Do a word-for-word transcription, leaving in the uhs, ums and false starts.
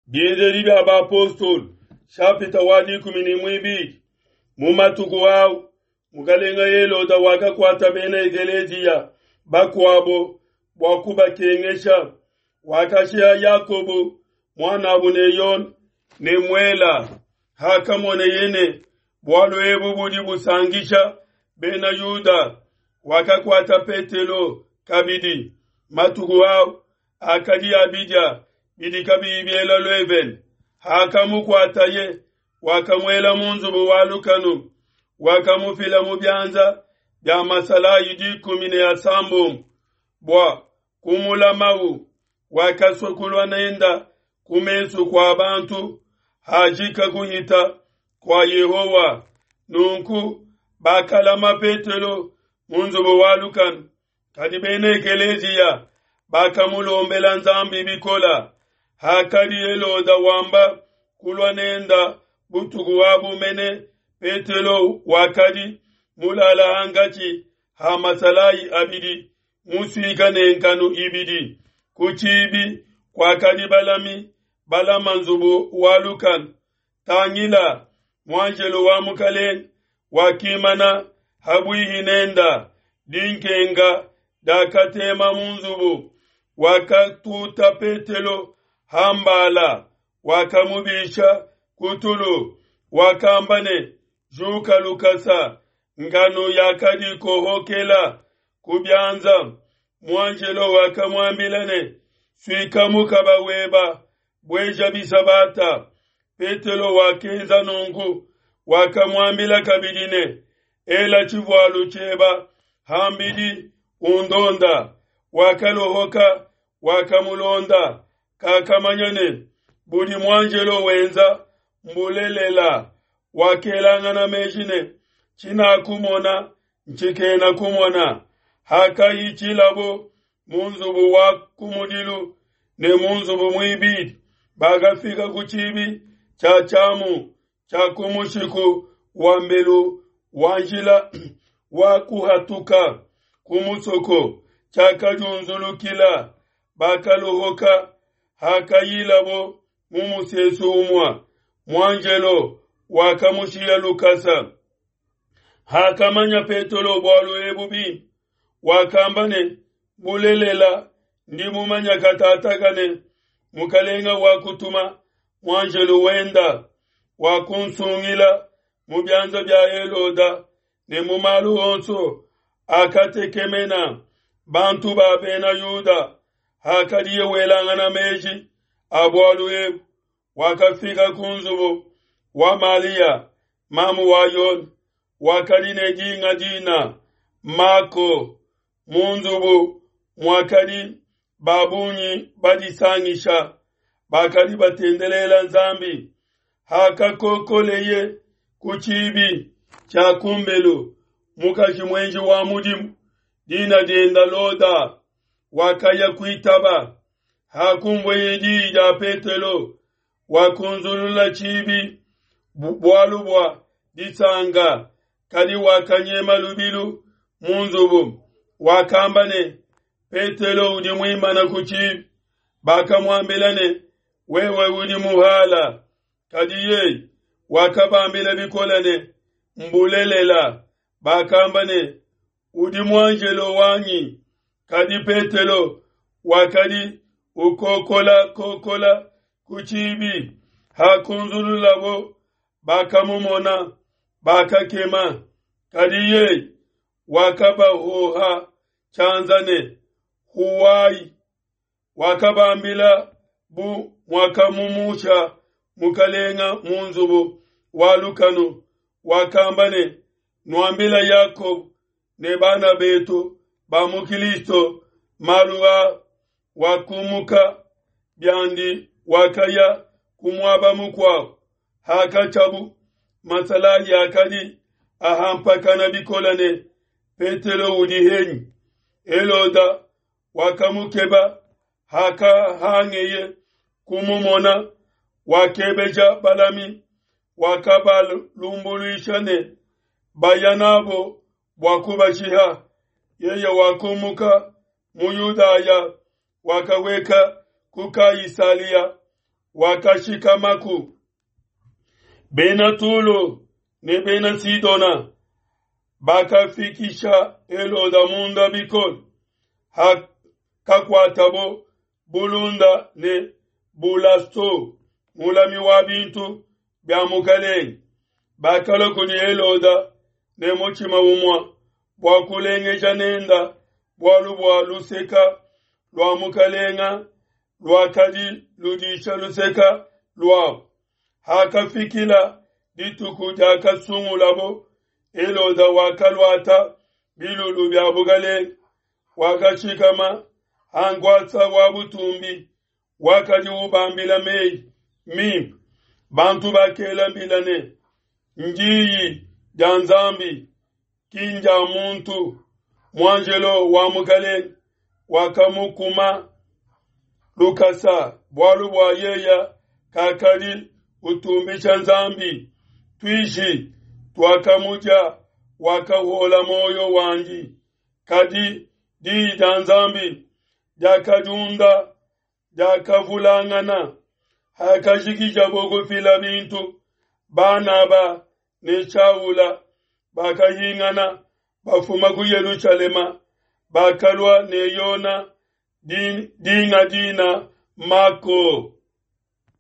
Bienzedi bia Bapostolo, nshapita wa dikumi ne muibidi. Mu matuku au, mukalenge Heloda wakakuata bena ekeleziya bakuabo bua kubakengesha. Wakashiha Yakobo muanabu ne Yone ne muela. Hakamoneye ne bualu ebu budi busankisha bena Yuda, wakakuata Petelo kabidi. Matuku au akadi a bidia bidi kabiyi biela luevene. Hakamukuataye, wakamuela mu nzubu wa lukanu, wakamufila mu bianza bia masalayi dikumi ne asambombo bua kumulamau. Wakasua kulua nenda ku mesu kua bantu hajika kuhita kua Yehowa. Nunku bakalama Petelo mu nzubu wa lukanu, kadi bena ekeleziya bakamulombela Nzambi bikola. Hakadi Heloda wamba kulua nenda butuku abu mene, Petelo wakadi mulala hankatshi ha masalayi abidi, musuika ne nkanu ibidi. Ku tshibi kuakadi balami balama nzubu wa lukanu. Tangila, muanjelo wa Mukalenge wakimana habuihi nenda, dinkenka diakatema mu nzubu. Wakatuta Petelo hambala, wakamubisha ku tulu, wakamba ne, Juka lukasa. Nkanu yakadi kohokela ku bianza. Muanjelo wakamuambila ne, Suika mukaba weba, bueja bisabata. Petelo wakenza nunku. Wakamuambila kabidi ne, Ela tshivualu tshieba hambidi, undonda. Wakalohoka, wakamulonda, kakamanya ne budi muanjelo wenza mbulelela. Wakelangana meji ne, Tshinakumona ntshikena kumona. Hakahitshilabo mu nzubu wa kumudilu ne mu nzubu muibidi, bakafika ku tshibi tshia tshiamu tshia ku mushiku wa mbelu wa njila wa kuhatuka ku musoko, tshiakadiunzulukila. Bakalohoka. Hakayilabo mu musesu umue, muanjelo wakamushiya lukasa. Hakamanya Petelo bualu ebu bimpe, wakamba ne, Bulelela, ndi mumanya katataka ne Mukalenga wakutuma muanjelo wenda, wakunsungila mu bianza bia Heloda ne mu malu onso akatekemena bantu ba bena Yuda. Hakadiye welangana meji a bualu ebu, wakafika ku nzubu wa Malia, mamu wa Yone, wakadi ne dinga dina Mako. Mu nzubu muakadi ba bungi badisangisha, bakadi batendelela Nzambi. Hakakokoleye ku tshibi tshia kumbelu, mukaji muenji wa mudimu, dina dienda Loda, wakaya kuitaba. Hakumvueye diyi dia Petelo, wakunzulula tshibi bualu bua disanka, kadi wakanyema lubilu mu nzubu. Wakamba ne, Petelo udi muimana ku tshibi. Bakamuambila ne, Wewe udi muhala. Kadi yeye wakabambila bikole ne, Mbulelela. Bakamba ne, Udi muanjelo wanyi. Kadi Petelo wakadi ukokola kokola ku tshibi. Hakunzululabo, bakamumona, bakakema. Kadi yeye wakabahoha tshianza ne, Huwai. Wakabambila bu muakamumusha Mukalenga mu nzubu wa lukanu. Wakamba ne, Nuambila Yakobo ne bana betu ba mu Kristo malu a. Wakumuka biandi, wakaya ku muaba mukuabo. Hakatshiabu, masalayi akadi ahampakana bikole ne, Petelo udi henyi? Heloda wakamukeba. Hakahangeye kumumona, wakebeja balami, wakabalumbuluisha ne, Baya nabo bua kubashiha. Yeye wakumuka mu Yudaya, wakaweka ku Kaisalia. wakashikamaku. Bena Tulo ne bena Sidona bakafikisha Heloda munda bikole, hakakuatabo bulunda ne Bulasto, mulami wa bintu bia mukalenge. Bakalua kudi Heloda ne mutshima umue bua kulengeja nenda bualu bua luseka lua mukalenga luakadi ludisha luseka luabo. Hakafikila dituku diakasungulabo, Heloda wakaluata bilulu bia bukalenge, wakashikama ha nkuasa wa butumbi, wakadi ubambila meyi mimpe. Bantu bakela mbila ne, Ndiyi dia Nzambi, ki ndia muntu. Muanjelo wa mukalenge wakamukuma lukasa, bualu bua yeya kakadi utumbisha Nzambi. Tuishi tuakamudia, wakahuola muoyo wandi. Kadi diyi dia Nzambi diakadiunda, diakavulangana. Hakajikijabo kufila bintu, Banaba ne Shaula bakahingana bafuma ku Yelushalema, bakalua ne Yona dinga dina Mako.